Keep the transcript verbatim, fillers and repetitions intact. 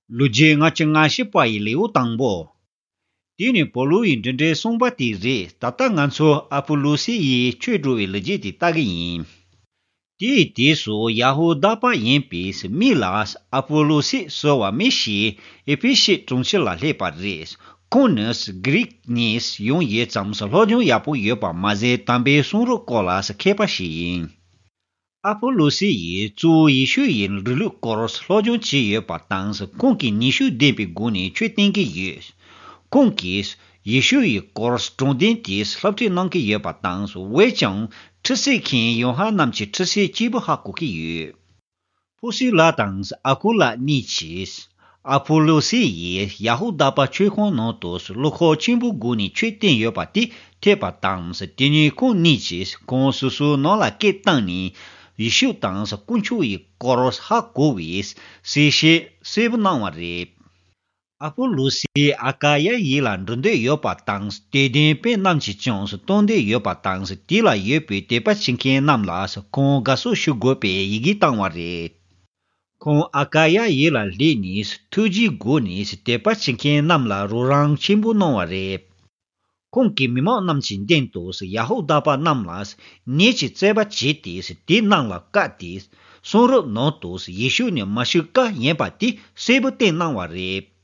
ལོ་རྒྱུས་ལྔ་བཅུ་ང་བཞི་པ་ཡི་ལེའུ་དང་པོ། དེ་ནི་པོ་ལུ་ཡི་འབྲི་འགྲེལ་གསུངས་པ་དེ་རེད། ད་ལྟ་ང་ཚོ་ཨ་པོ་ལོ་སི་ཡིས་ཆོས་སྒྲུབ་པའི་ལོ་རྒྱུས་དེ་ལྟ་གི་ཡིན། དེའི་དུས་སུ་ཡ་ཧུ་དཱ་པ་ཡིན་པའི་མི་ལ་ཨ་པོ་ལོ་སི་ཟེར་བ་མི་ཞིག་ཨེ་ཕེ་སི་གྲོང་ཁྱེར་ལ་སླེབས་པ་རེད། ཁོང་ནི་གྷི་རིག་ནས་ཡོང་ཡོད་ཙང་སློབ་སྦྱོང་ཡག་པོ་ཡོད་པ་མ་ཟད་དམ་པའི་གསུང་རབ་སྐོར་ལ་མཁས་པ་ཞིག་ཡིན། ཨ་པོ་ལོ་སི་ཡིས་གཙོ་བོ་ཡེ་ཤུ་ཡི་རིང་ལུགས་སྐོར་སློབ་སྦྱོང་བྱས་ཡོད་པ་དང་། ཁོང་གིས་ནུས་ཤུགས་ལྡན་པའི་སྒོ་ནས་ཆོས་བསྟན་གྱི་ཡོད། ཁོང་གིས་ཡེ་ཤུ་ཡི་སྐོར་དྲང་བདེན་དེ་སློབ་ཁྲིད་གནང་གི་ཡོད་པ་དང་། འོན་ཀྱང་ཁྲུས་གསོལ་མཁན་ཡོ་ཧ་ནན་གྱི་ཁྲུས་གསོལ་གཅིག་པུ་ཧ་གོ་གི་ཡོད། པུ་སི་ལ་དང་ཨ་ཀུ་ལ་གཉིས་ཀྱིས་ཨ་པོ་ལོ་སི་ཡིས་ཡ་ཧུ་དཱ་པ་ཆོས་ཁང་ནང་དུ་བློ་ཁོག་ཆེན་པོའི་སྒོ་ནས་ཆོས་བསྟན་ཡོད་པ་དེ་ཐོས་པ་དང་། དེ་ནས་ཁོང་གཉིས་ཀྱིས་ཁོང་སོ་སོའི་ནང་ལ་སྐད་བཏང་ནས་ཡེ་ཤུ་དང་དཀོན་མཆོག་ཡི་སྐོར་ཧ་གོ་བའི་གསལ་བཤད་གསལ་པོ་གནང་བ་རེད། ཨ་པོ་ལོ་སི་ཨ་ཀ་ཡ་ཡུལ་ལ་འགྲོ་འདོད་ཡོད་པ་དང་། དད་ལྡན་དཔོན་རྣམས་ཀྱིས་ཀྱང་གཏོང་འདོད་ཡོད་པ་དང་། དེ་ལ་ཡོད་པའི་དད་པ་བྱེད་མཁན་རྣམས་ལ་ཁོང་དགའ་བསུ་ཞུ་དགོས་པའི་ཡི་གེ་བཏང་བ་རེད། ཁོང་ཨ་ཀ་ཡ་ཡུལ་ལ་སླེབས་ནས་ཐུགས་རྗེའི་སྒོ་ནས་དད་པ་བྱེད་མཁན་རྣམས་ལ་རོགས་རམ་ཆེན་པོ་གནང་བ་རེད། ཁོང་གིས་མི་མང་རྣམས་ཀྱི་མདུན་དུ་ཡ་ཧུ་དཱ་པ་རྣམས་ལ་ནད་ཀྱི་རྩོད་པ་བྱས་ཏེ། དེ་རྣམས་ལ་བཀའ་སྟེ། གསུང་རབ་ནང་དུ་ཡེ་ཤུ་ནི་མ་ཤི་ཀ་ཡིན་པ་དེ་གསལ་པོ་བསྟན་གནང་བ་རེད།